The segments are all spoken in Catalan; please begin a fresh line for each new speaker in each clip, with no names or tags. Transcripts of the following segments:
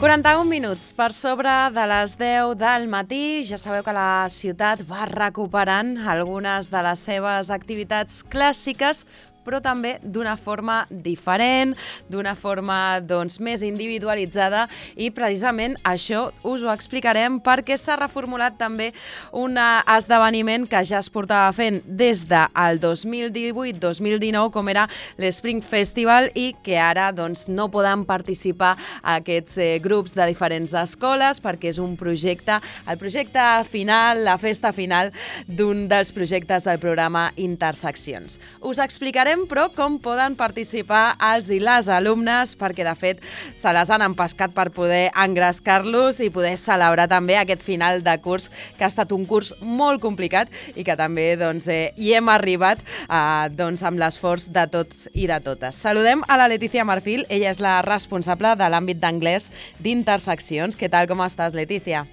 41 minuts per sobre de les 10 del matí. Ja sabeu que la ciutat va recuperant algunes de les seves activitats clàssiques, però també d'una forma diferent, d'una forma més individualitzada, i precisament això us ho explicarem perquè s'ha reformulat també un esdeveniment que ja es portava fent des del 2018-2019, com era l'Spring Festival, i que ara no poden participar aquests grups de diferents escoles perquè és un projecte, el projecte final, la festa final d'un dels projectes del programa Interseccions. Us explicarem però com poden participar els i les alumnes, perquè de fet se les han empescat per poder engrescar-los i poder celebrar també aquest final de curs, que ha estat un curs molt complicat i que també hi hem arribat amb l'esforç de tots i de totes. Saludem a la Letícia Marfil, ella és la responsable de l'àmbit d'anglès d'Interseccions. Què tal, com estàs, Letícia?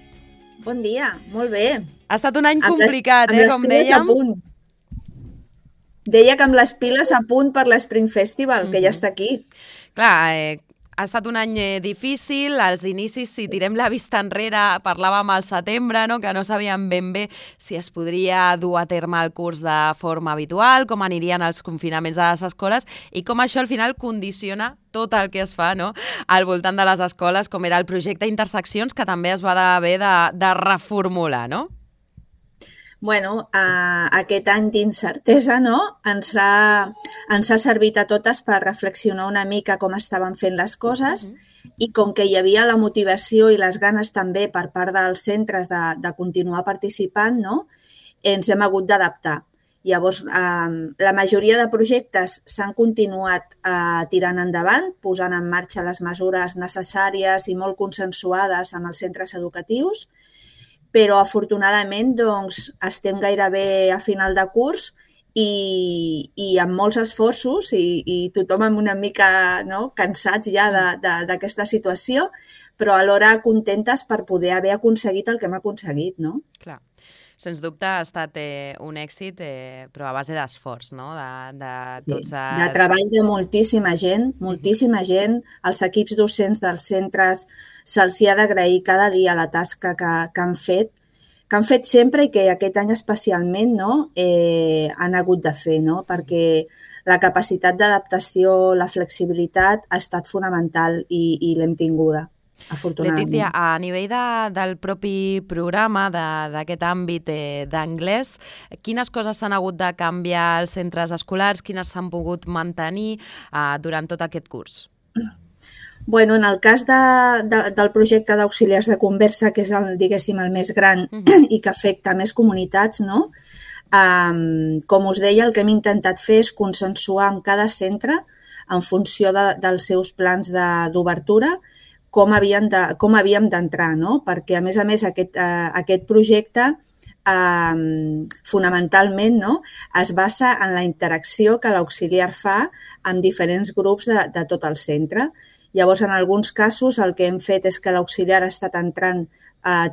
Bon dia, molt bé.
Ha estat un any complicat, com dèiem.
Deia que amb les piles a punt per l'Spring Festival, que ja està aquí.
Clar, ha estat un any difícil. Als inicis, si tirem la vista enrere, parlàvem al setembre, que no sabíem ben bé si es podria dur a terme el curs de forma habitual, com anirien els confinaments a les escoles i com això al final condiciona tot el que es fa al voltant de les escoles, com era el projecte Interseccions, que també es va haver de reformular, no?
Bueno, aquest any d'incertesa ens ha servit a totes per reflexionar una mica com estaven fent les coses i com que hi havia la motivació i les ganes també per part dels centres de continuar participant, ens hem hagut d'adaptar. Llavors, la majoria de projectes s'han continuat tirant endavant, posant en marxa les mesures necessàries i molt consensuades amb els centres educatius, però afortunadament estem gairebé a final de curs i amb molts esforços i tothom amb una mica cansats ja d'aquesta situació, però alhora contentes per poder haver aconseguit el que hem aconseguit, no?
Clar. Sens dubte ha estat un èxit, però a base d'esforç, no?
De treball de moltíssima gent, els equips docents dels centres se'ls ha d'agrair cada dia la tasca que han fet sempre i que aquest any especialment han hagut de fer, perquè la capacitat d'adaptació, la flexibilitat ha estat fonamental i l'hem tinguda.
Letícia, a nivell del propi programa, d'aquest àmbit d'anglès, quines coses s'han hagut de canviar als centres escolars, quines s'han pogut mantenir durant tot aquest curs?
Bueno, en el cas del projecte d'auxiliars de conversa, que és el més gran i que afecta més comunitats, com us deia, el que hem intentat fer és consensuar amb cada centre, en funció dels seus plans d'obertura, com havíem d'entrar, perquè, a més, aquest projecte fonamentalment es basa en la interacció que l'auxiliar fa amb diferents grups de tot el centre. Llavors, en alguns casos, el que hem fet és que l'auxiliar ha estat entrant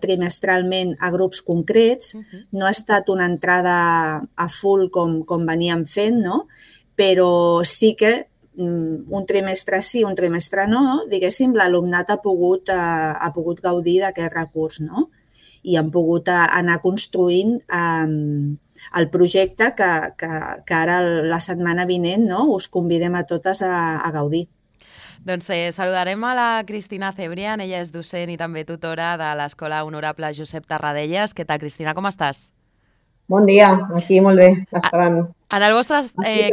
trimestralment a grups concrets, no ha estat una entrada a full com veníem fent, però sí que un trimestre sí, un trimestre no, diguéssim, l'alumnat ha pogut gaudir d'aquest recurs, i han pogut anar construint el projecte que ara la setmana vinent us convidem a totes a gaudir.
Doncs saludarem a la Cristina Cebrián, ella és docent i també tutora de l'Escola Honorable Josep Tarradellas. Què tal, Cristina, com estàs?
Bon dia, aquí molt bé, esperant.
En el vostre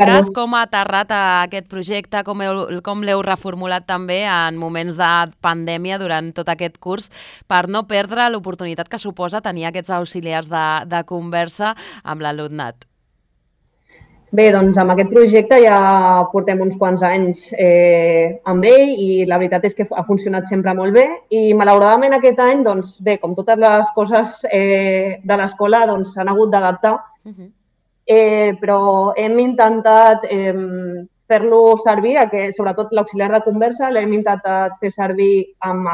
cas, com ha aterrat aquest projecte, com l'heu reformulat també en moments de pandèmia durant tot aquest curs per no perdre l'oportunitat que suposa tenir aquests auxiliars de conversa amb l'alumnat?
Bé, doncs amb aquest projecte ja portem uns quants anys amb ell i la veritat és que ha funcionat sempre molt bé i malauradament aquest any, doncs bé, com totes les coses de l'escola, doncs s'han hagut d'adaptar, però hem intentat fer-lo servir, sobretot l'auxiliar de conversa, l'hem intentat fer servir amb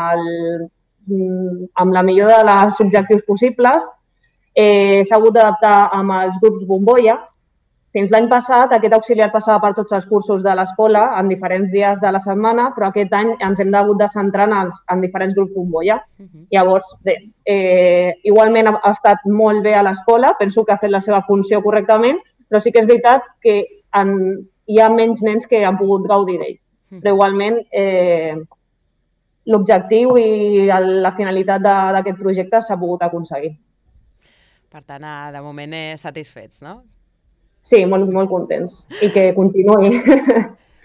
la millor dels objectius possibles. S'ha hagut d'adaptar amb els grups bombolla, Fins l'any passat, aquest auxiliar passava per tots els cursos de l'escola en diferents dies de la setmana, però aquest any ens hem hagut de centrar en diferents grups bombolla. Llavors, bé, igualment ha estat molt bé a l'escola, penso que ha fet la seva funció correctament, però sí que és veritat que hi ha menys nens que han pogut gaudir d'ell. Però igualment, l'objectiu i la finalitat d'aquest projecte s'ha pogut aconseguir.
Per tant, de moment satisfets, no?
Sí, molt, molt contents. I que continuï.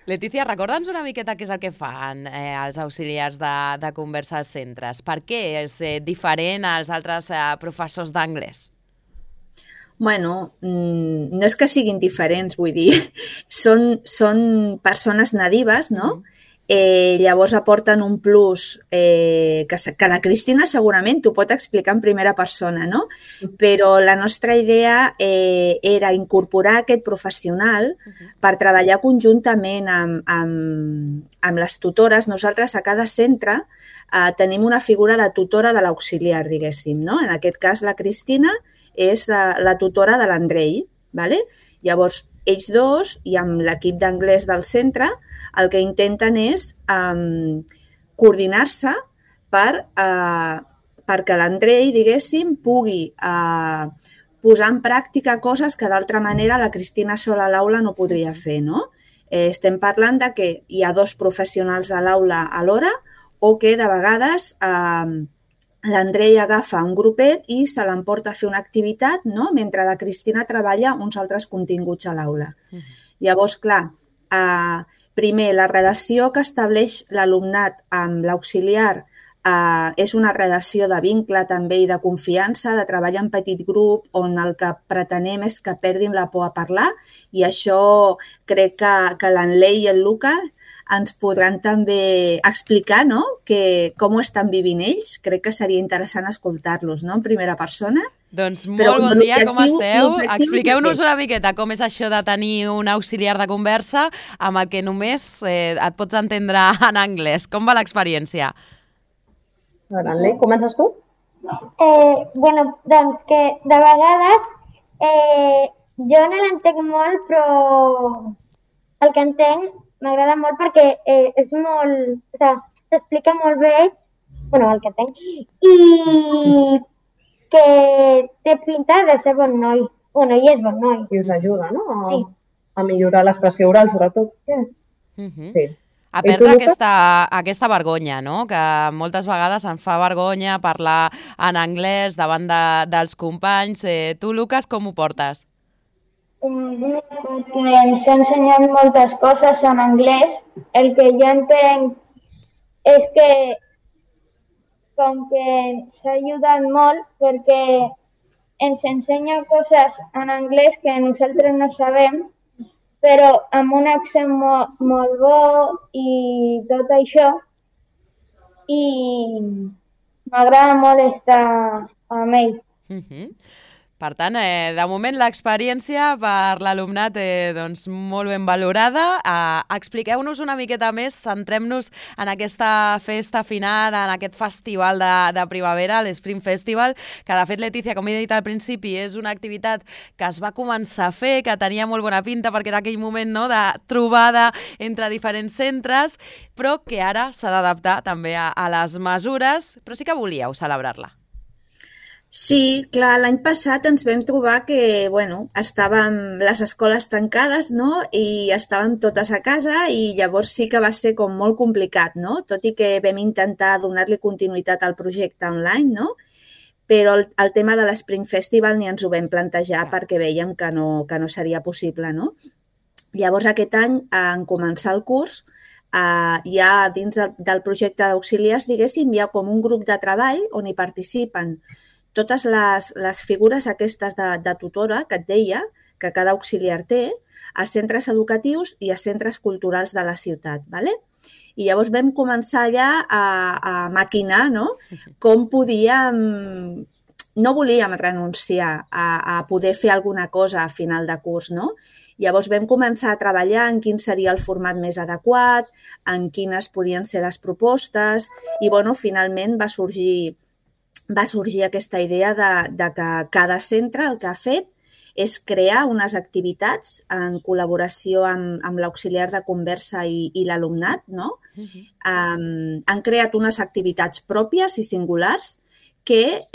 Letícia, recorda'ns una miqueta què és el que fan els auxiliars de conversa als centres. Per què és diferent als altres professors d'anglès?
Bueno, no és que siguin diferents, vull dir, són persones nadives, no? Llavors aporten un plus que la Cristina segurament t'ho pot explicar en primera persona, no? Però la nostra idea era incorporar aquest professional per treballar conjuntament amb les tutores. Nosaltres a cada centre tenim una figura de tutora de l'auxiliar, diguéssim, no? En aquest cas la Cristina és la tutora de l'Andrei, ¿vale? Llavors ells dos i amb l'equip d'anglès del centre el que intenten és coordinar-se perquè l'Andrei, diguéssim, pugui posar en pràctica coses que d'altra manera la Cristina sola a l'aula no podria fer, no? Estem parlant de que hi ha 2 professionals a l'aula alhora o que de vegades l'Andrei agafa un grupet i se l'emporta a fer una activitat, no? Mentre la Cristina treballa uns altres continguts a l'aula. Llavors, clar, primer, la relació que estableix l'alumnat amb l'auxiliar és una relació de vincle també i de confiança, de treball en petit grup, on el que pretenem és que perdin la por a parlar i això crec que l'Anlei i el Luca ens podran també explicar, no? Com ho estan vivint ells. Crec que seria interessant escoltar-los, no? En primera persona.
Doncs molt bon dia, com esteu? Expliqueu-nos una miqueta com és això de tenir un auxiliar de conversa amb el que només et pots entendre en anglès. Com va l'experiència?
Anlei, comences tu?
Bueno, doncs que de vegades jo no l'entenc molt, però el que entenc m'agrada molt perquè és molt... O sigui, s'explica molt bé, bueno, el que entenc, i que té pinta de ser bon noi. Bueno, i és bon noi.
I us ajuda, no?
Sí.
A millorar l'expressió oral, sobretot. Sí.
A perdre aquesta vergonya, no? Que moltes vegades em fa vergonya parlar en anglès davant dels companys. Tu, Lucas, com ho portes?
Perquè ens ha ensenyat moltes coses en anglès. El que jo entenc és que com que ens ha ajudat molt perquè ens ensenya coses en anglès que nosaltres no sabem, però amb un accent molt bo i tot això. I m'agrada molt estar amb ell.
Per tant, de moment l'experiència per l'alumnat doncs molt ben valorada. Expliqueu-nos una miqueta més, centrem-nos en aquesta festa final, en aquest festival de primavera, l'Spring Festival, que de fet, Letícia, com he dit al principi, és una activitat que es va començar a fer, que tenia molt bona pinta perquè era aquell moment, no?, de trobada entre diferents centres, però que ara s'ha d'adaptar també a les mesures, però sí que volíeu celebrar-la.
Sí, clar, l'any passat ens vam trobar que, bueno, estàvem les escoles tancades, no?, i estàvem totes a casa i llavors sí que va ser com molt complicat, no?, tot i que vam intentar donar-li continuïtat al projecte online, no?, però el tema de l'Spring Festival ni ens ho vam plantejar perquè veiem que no seria possible, no? Llavors aquest any, en començar el curs, ja dins del projecte d'auxiliars, diguéssim, hi ha com un grup de treball on hi participen totes les figures aquestes de tutora que et deia, que cada auxiliar té, a centres educatius i a centres culturals de la ciutat, ¿vale? I llavors vam començar ja a maquinar, no?, com podíem... No volíem renunciar a poder fer alguna cosa a final de curs, no? Llavors vam començar a treballar en quin seria el format més adequat, en quines podien ser les propostes i, bueno, finalment va sorgir aquesta idea de que cada centre el que ha fet és crear unes activitats en col·laboració amb l'auxiliar de conversa i l'alumnat, no? Han creat unes activitats pròpies i singulars que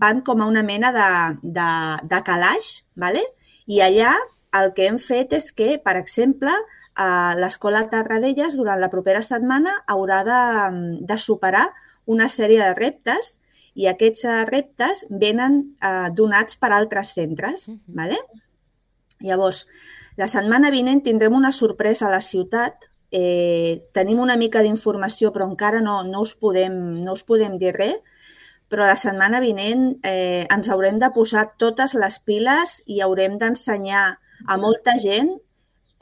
van com a una mena de calaix, ¿vale? I allà el que hem fet és que, per exemple, l'Escola Tarradellas durant la propera setmana haurà de superar una sèrie de reptes i aquests reptes venen donats per altres centres. ¿Vale? Llavors, la setmana vinent tindrem una sorpresa a la ciutat. Tenim una mica d'informació, però encara no us podem dir res, però la setmana vinent ens haurem de posar totes les piles i haurem d'ensenyar a molta gent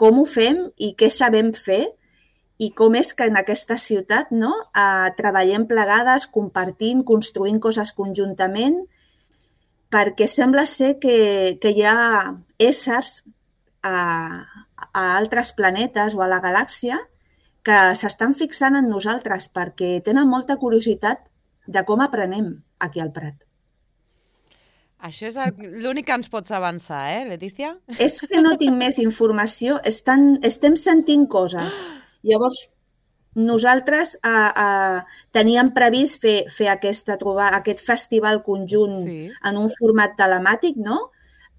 com ho fem i què sabem fer i com és que en aquesta ciutat treballem plegades, compartint, construint coses conjuntament, perquè sembla ser que hi ha éssers a altres planetes o a la galàxia que s'estan fixant en nosaltres perquè tenen molta curiositat de com aprenem aquí al Prat.
Això és l'únic que ens pots avançar, Letícia?
És que no tinc més informació. Estem sentint coses. Llavors, nosaltres teníem previst fer aquest festival conjunt en un format telemàtic, no?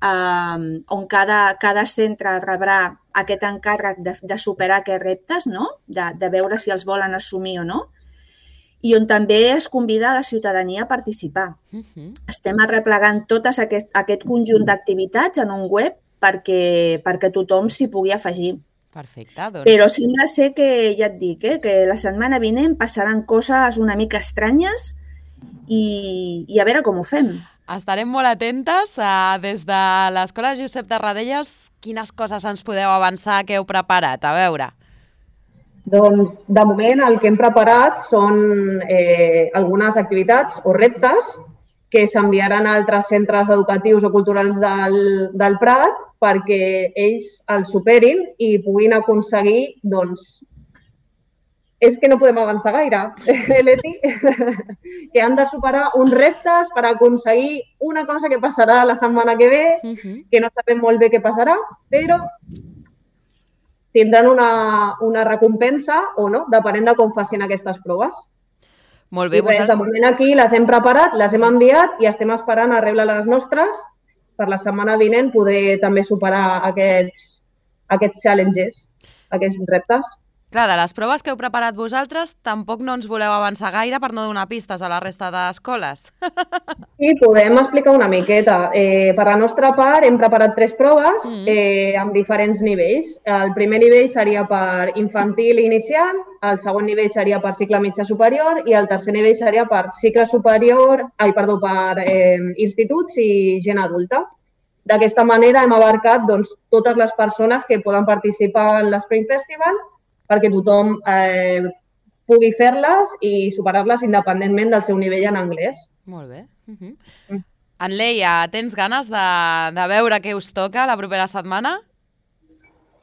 On cada centre rebrà aquest encàrrec de superar aquests reptes, no? De veure si els volen assumir o no. I on també es convida a la ciutadania a participar. Estem arreplegant tot aquest conjunt d'activitats en un web perquè tothom s'hi pugui afegir.
Perfecte, doncs.
Però sembla ser que, ja et dic, que la setmana vinent passaran coses una mica estranyes i a veure com ho fem.
Estarem molt atentes. Des de l'Escola Josep Tarradellas, quines coses ens podeu avançar que heu preparat? A veure.
Doncs, de moment, el que hem preparat són algunes activitats o reptes que s'enviaran a altres centres educatius o culturals del Prat perquè ells els superin i puguin aconseguir, doncs, és que no podem avançar gaire, Leti, que han de superar uns reptes per aconseguir una cosa que passarà la setmana que ve, que no sabem molt bé què passarà, però tindran una recompensa o no, depenent de com facin aquestes proves.
Molt bé.
De moment aquí les hem preparat, les hem enviat i estem esperant a rebre les nostres per la setmana vinent poder també superar aquests challenges, aquests reptes.
Clar, de les proves que heu preparat vosaltres, tampoc no ens voleu avançar gaire per no donar pistes a la resta d'escoles.
Sí, podem explicar una miqueta. Per la nostra part hem preparat 3 proves amb diferents nivells. El primer nivell seria per infantil i inicial, el segon nivell seria per cicle mitjà superior i el tercer nivell seria per cicle superior, per instituts i gent adulta. D'aquesta manera hem abarcat totes les persones que poden participar en l'Spring Festival perquè tothom pugui fer-les i superar-les independentment del seu nivell en anglès.
Molt bé. Anleia, tens ganes de veure què us toca la propera setmana?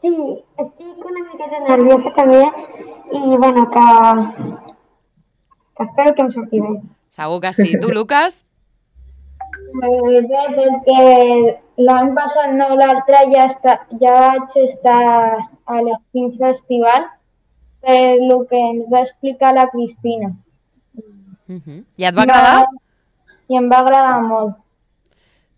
Sí, estic una miqueta nerviosa també i bueno, que espero que em surti bé.
Segur que sí. Tu, Lucas?
Perquè l'any passat, no l'altre, ja vaig estar a l'Spring Festival per el que ens va explicar la Cristina.
I et va agradar?
I em va agradar molt.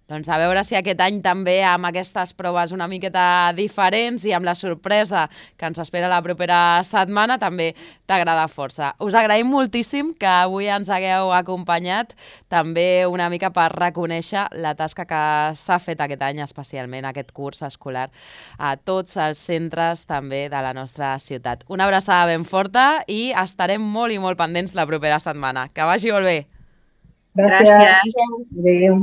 Doncs a veure si aquest any també amb aquestes proves una miqueta diferents i amb la sorpresa que ens espera la propera setmana també t'agrada força. Us agraïm moltíssim que avui ens hagueu acompanyat també una mica per reconèixer la tasca que s'ha fet aquest any, especialment aquest curs escolar, a tots els centres també de la nostra ciutat. Una abraçada ben forta i estarem molt i molt pendents la propera setmana. Que vagi molt bé!
Gràcies.
Adéu.